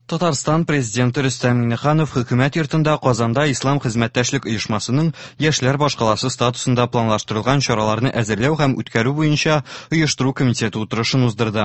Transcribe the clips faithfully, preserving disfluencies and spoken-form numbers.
Татарстан президенты Рөстәм Миңнеханов хөкүмәт йортында Казанда Ислам хезмәттәшлек оешмасының яшьләр башкаласы статусында планлаштырылган чараларны әзерләү һәм үткәрү буенча оештыру комитеты утырышын уздырды.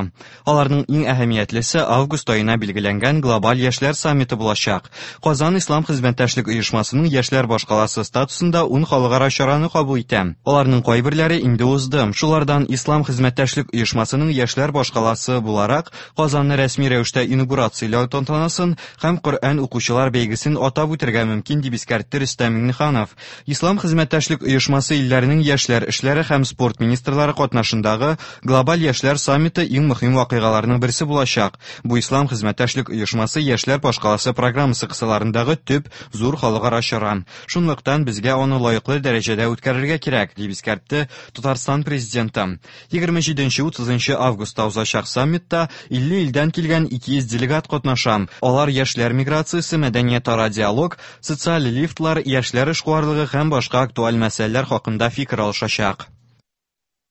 Аларның иң әһәмиятлесе август аена билгеләнгән глобаль яшьләр саммиты булачак. Казан Ислам хезмәттәшлек оешмасының яшьләр башкаласы статусында ун халыкара чараны кабул итә. Аларның кайберләре инде узды. Шулардан Ислам хезмәттәшлек оешмасының яшьләр башкаласы буларак Казанны рәсми рәвештә инаугурацияләү тантанасын һәм Коръән укучылар бәйгесен атап үтәргә мөмкин, дип искәртте Рөстәм Миңнеханов. Ислам хезмәттәшлек оешмасы илләренең яшьләр эшләре һәм спорт министрлары катнашындагы глобаль яшьләр саммиты иң мөһим вакыйгаларның берсе булачак. Бу Ислам хезмәттәшлек оешмасы яшьләр башкаласы программасы кысаларындагы төп зур халыкара чара. Шунлыктан безгә аны лаеклы дәрәҗәдә үткәрергә кирәк, дип искәртте Татарстан президенты. егерме җиденче утызынчы августта узачак саммитта илле илдән килгән ике йөз делегат катнаша. Алар яшьләр миграциясе, мәдәниятара диалог, социаль лифтлар, яшьләр эшкуарлыгы һәм башка актуаль мәсьәләләр хакында фикер алышачак.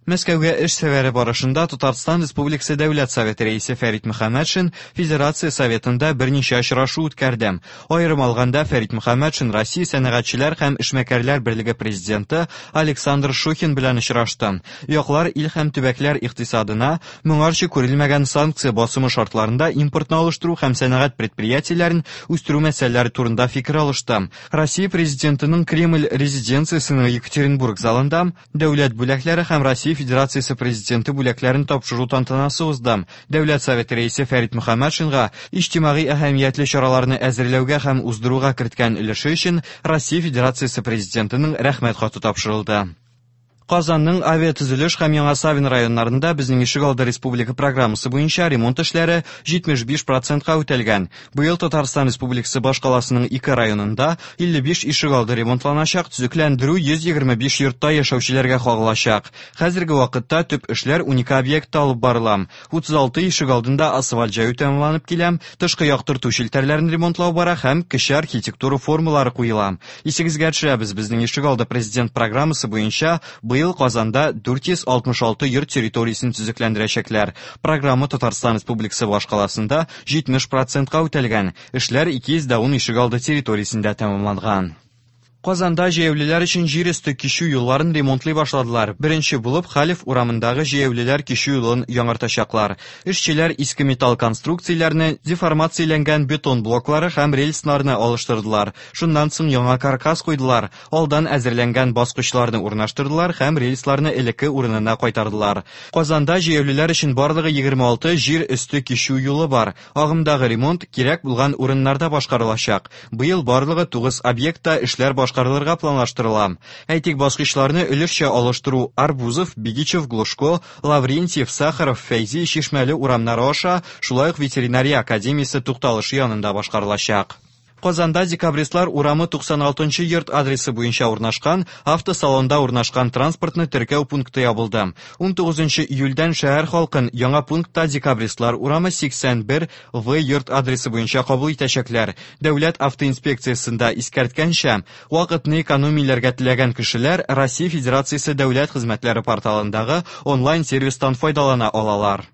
Мәскәүгә эш сәфәре барышында Татарстан Республикасы Дәүләт Советы рәисе Фәрит Мөхәммәтшин Федерация Советында берничә очрашу үткәрде. Аерым алганда Фәрит Мөхәммәтшин Россия сәнәгатьчеләр һәм эшмәкәрләр берлеге президенты Александр Шухин белән очрашты. Яклар ил һәм төбәкләр икътисадына моңарчы күрелмәгән санкция басымы шартларында импортны алыштыру һәм сәнәгать предприятиеләрен үстерү мәсьәләләре турында фикер алышты. Россия президентының Кремль резиденциясенең Екатеринбург залында дәүләт бүләкләре һәм Россия Федерациясе президенты бүләкләрен тапшыру тантанасы узды. Дәүләт Советы рәисе Фәрит Мөхәммәтшинга иҗтимагый әһәмиятле чараларны әзерләүгә һәм уздыруга керткән өлеше өчен Россия Федерациясе президентының рәхмәт хаты тапшырылды. Казанның авиатөзелеш һәм Яңа Савин районнарында безнең ишегалды республика программасы буенча ремонт эшләре җитмеш биш процентка үтәлгән. Быел Татарстан Республикасы башкаласының ике районында илле биш ишегалды ремонтланачак, төзекләндерү йөз егерме биш йортта яшәүчеләргә кагылачак. Хәзерге вакытта төп эшләр унике объектта алып барыла. Утыз алты ишегалдында асфальт җәю тәмамланып килә, тышкы яктырту челтәрләрен ремонтлау бара һәм кече архитектура формалары куела. Исегезгә төшерәбез, безнең ишегалды президент программасы буенча быел Казанда дүрт йөз алтмыш алты йорт территориясен төзекләндерәчәкләр. Программа Татарстан Республикасы башкаласында җитмеш процентка үтәлгән. Эшләр ике йөз дә ун ишегалды территориясендә тәмамланган. Казанда җәяүлеләр өчен җир өсте кичү юлларын ремонтлый башладылар. Беренче булып Халев урамындагы җәяүлеләр кичү юлын яңартачаклар. Эшчеләр иске металл конструкцияләрне, деформацияләнгән бетон блоклары һәм рельсларны алыштырдылар. Шуннан соң яңа каркас куйдылар. Алдан әзерләнгән баскычларны урнаштырдылар һәм рельсларны элекке урынына кайтардылар. Казанда җәяүлеләр өчен барлыгы егерме алты җир өсте кичү юлы бар. Агымдагы ремонт кирәк булган урыннарда башкарылачак. Быел барлыгы тугыз объектта эшләр башкарылырга планлаштырыла. Әйтик, баскычларны өлешчә алыштыру Арбузов, Бигичев, Глушко, Лаврентьев, Сахаров, Фәйзи, Чишмәле урамнары аша, шулай ук ветеринария академиясе тукталышы янында башкарылачак. Казанда Декабристлар урамы туксан алтынчы йорт адресы буенча урнашкан автосалонда урнашкан транспортны теркәү пункты ябылды. Ун тугызынчы июльдән шәһәр халкын яңа пунктта Декабристлар урамы сиксән бер В йорт адресы буенча кабул итәчәкләр. Дәүләт автоинспекциясендә искәрткәнчә, вакытны экономияләргә теләгән кешеләр Россия Федерациясе дәүләт хезмәтләре порталындагы онлайн-сервистан файдалана алалар.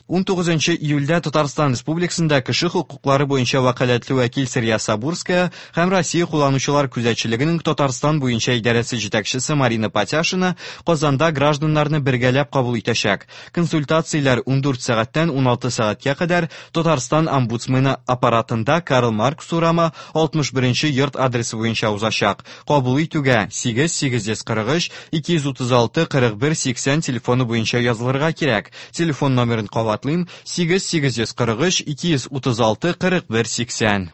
Ун тугызынчы июльдә Татарстан Республикасында кеше хокуклары буенча вәкаләтле вәкил Сәрия Сабурская һәм Россия кулланучылар күзәтчелегенең Татарстан буенча идарәсе җитәкчесе Марина Патяшина Казанда гражданнарны бергәләп кабул итәчәк. Консультацияләр ундүрт сәгатьтән уналты сәгатькә кадәр Татарстан омбудсмены аппаратында Карл Маркс урамы алтмыш беренче йорт адресы буенча узачак. Кабул итүгә сигез сигез йөз кырык өч ике йөз утыз алты кырык бер сиксән телефоны буенча язылырга кирәк. Телефон номерын кабатлыйм: сигез сигез йөз кырык өч ике йөз утыз алты кырык бер сиксән.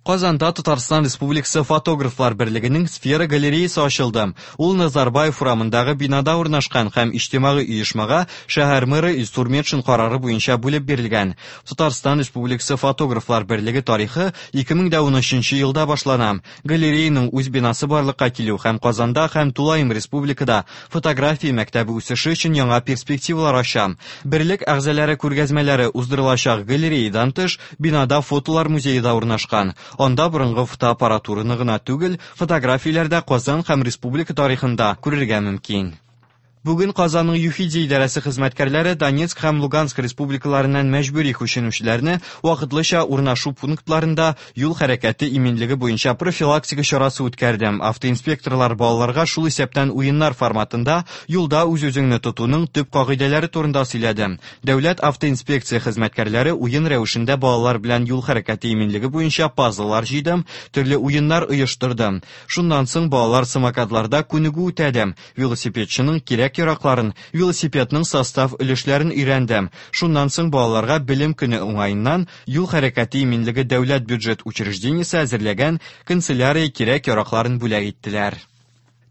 Казанда Татарстан Республикасы фотографлар берлегенең сфера галереясы ачылды. Ул Назарбаев урамындагы бинада урнашкан һәм иҗтимагый оешмага шәһәр мэры Илсур Метшин карары буенча бүлеп бирелгән. Татарстан Республикасы фотографлар берлеге тарихы ике мең дә унөченче елда башлана. Галереяның үз бинасы барлыкка килү һәм Казанда һәм тулаем республикада фотография мәктәбе үсеше өчен яңа перспективалар ача. Берлек әгъзалары күргәзмәләре уздырылачак галереядан тыш бинада фотолар музее да урнашкан. Анда борынгы фотоаппаратураны гына түгел, фотографияләрдә Казан һәм республика тарихында күрергә мөмкин. Бүген Казанның ЮХИДИ идарәсе хезмәткәрләре Донецк һәм Луганск республикаларыннан мәҗбүри күченүчеләрне вакытлыча урнашу пунктларында юл хәрәкәте иминлеге буенча профилактика чарасы үткәрде. Автоинспекторлар балаларга шул исәптән уеннар форматында юлда үз-үзеңне тотуның төп кагыйдәләре турында сөйләде. Дәүләт автоинспекция хезмәткәрләре уен рәвешендә балалар белән юл хәрәкәте иминлеге буенча пазллар җыйды, төрле уеннар оештырды. Шуннан соң балалар самокатларда күнегү үтәде. Велосипедчының кирәк яракларын, велосипедның состав өлешләрен өйрәнде. Шуннан соң балаларга белем көне уңаеннан юл хәрәкәте иминлеге дәүләт бюджет учреждениесе әзерләгән канцелярия кирәк яракларын бүләк иттеләр.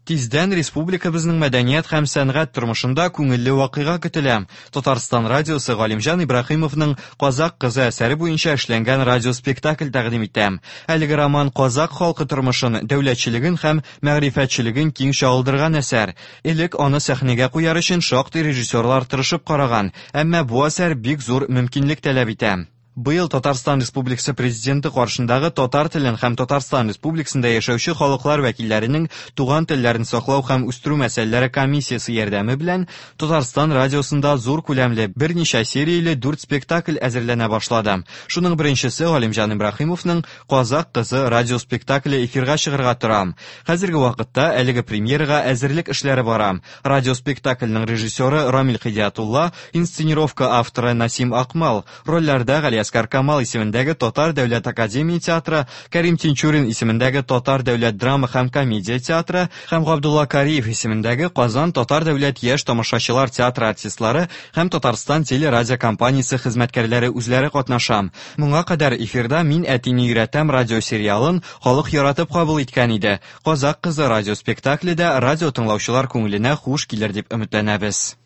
Тиздән республикабызның мәдәният һәм сәнгать тормышында күңелле вакыйга көтелә. Татарстан радиосы Галимҗан Ибраһимовның «Казак кызы» әсәре буенча эшләнгән радиоспектакль тәкъдим итә. Әлеге роман казак халкы тормышын, дәүләтчелеген һәм мәгърифәтчелеген киң чагылдырган әсәр. Элек аны сәхнәгә куяр өчен шактый режиссерлар тырышып караган, әмма бу әсәр бик зур мөмкинлек таләп итә. Быел Татарстан Республикасы Президенты каршындагы татар телен һәм Татарстан Республикасында яшәүче халыклар вәкилләренең туган телләрен саклау һәм үстерү мәсьәләләре комиссиясе ярдәме белән Татарстан радиосында зур күләмле берничә серияле дүрт спектакль әзерләнә башлады. Шуның беренчесе Галимҗан Ибраһимовның «Казак кызы» радиоспектакле эфирга чыгарга тора. Хәзерге вакытта әлеге премьерага әзерлек эшләре бара. Радиоспектакльнең режиссеры Рамил Хидиятулла, инсценировка авторы Насим Акмал, рольләрдә Галиәсгар Камал исемендәге Татар дәүләт академия театры, Кәрим Тинчурин исемендәге Татар дәүләт драма һәм комедия театры һәм Габдулла Кариев исемендәге Казан Татар дәүләт яшь тамашачылар театры артистлары һәм Татарстан телерадиокомпаниясе хезмәткәрләре үзләре катнаша. Моңа кадәр эфирда «Мин әтине өйрәтәм» радиосериалын халык яратып кабул иткән иде. «Казак кызы» радиоспектакле дә радио тыңлаучылар күңеленә хуш килер дип өметләнәбез.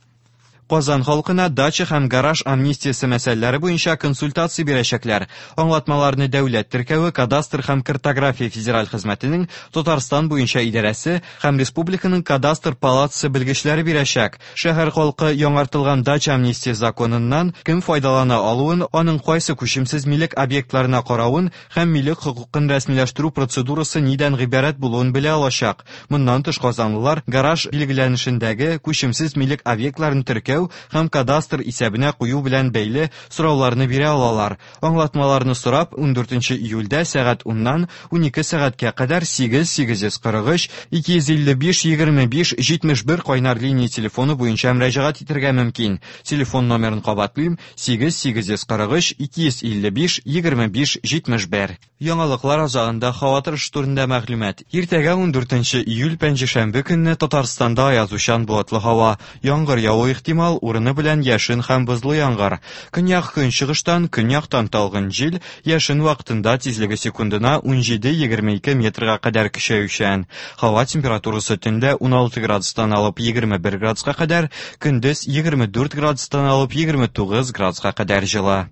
Казан халкына дача һәм гараж амнистиясе мәсьәләләре буенча консультация бирәчәкләр. Аңлатмаларны дәүләт теркәве, кадастр һәм картография федераль хезмәтенең Татарстан буенча идарәсе һәм республиканың кадастр палатасы белгечләре бирәчәк. Шәһәр халкы яңартылган дача амнистия законыннан кем файдалана алуын, аның кайсы күчемсез милек объектларына каравын һәм милек хокукын рәсмиләштерү процедурасы нидән гыйбарәт булуын белә алачак. Моннан тыш казанлылар гараж билгеләнешендәге күчемсез милек объектларын теркәү һәм кадастр исәбенә кую белән бәйле сорауларны бирә алалар. Аңлатмаларны сорап ундүртенче июльдә сәгать уннан унике сәгатькә кадәр сигез сигез йөз кырык өч ике йөз илле биш егерме биш җитмеш бер кайнар линия телефоны буенча мөрәҗәгать итәргә мөмкин. Телефон номерын кабатлыйм: сигез сигез йөз кырык өч ике йөз илле биш егерме биш җитмеш бер. Яңалыклар азагында һава торышы турында мәгълүмат. Иртәгә ундүртенче июль пәнҗешәмбе көнне Татарстанда аязучан болытлы һава, яңгыр яву ихтимал, урыны белән яшен һәм бозлы яңгыр. Көньяк көнчыгыштан, көньяктан талгын җил, яшен вакытында тизлеге секундына унҗиде егерме ике метрга кадәр көчәючән. Һава температурасы төндә уналты градустан алып егерме бер градуска кадәр, көндез егерме дүрт градустан алып егерме тугыз градуска кадәр җылы.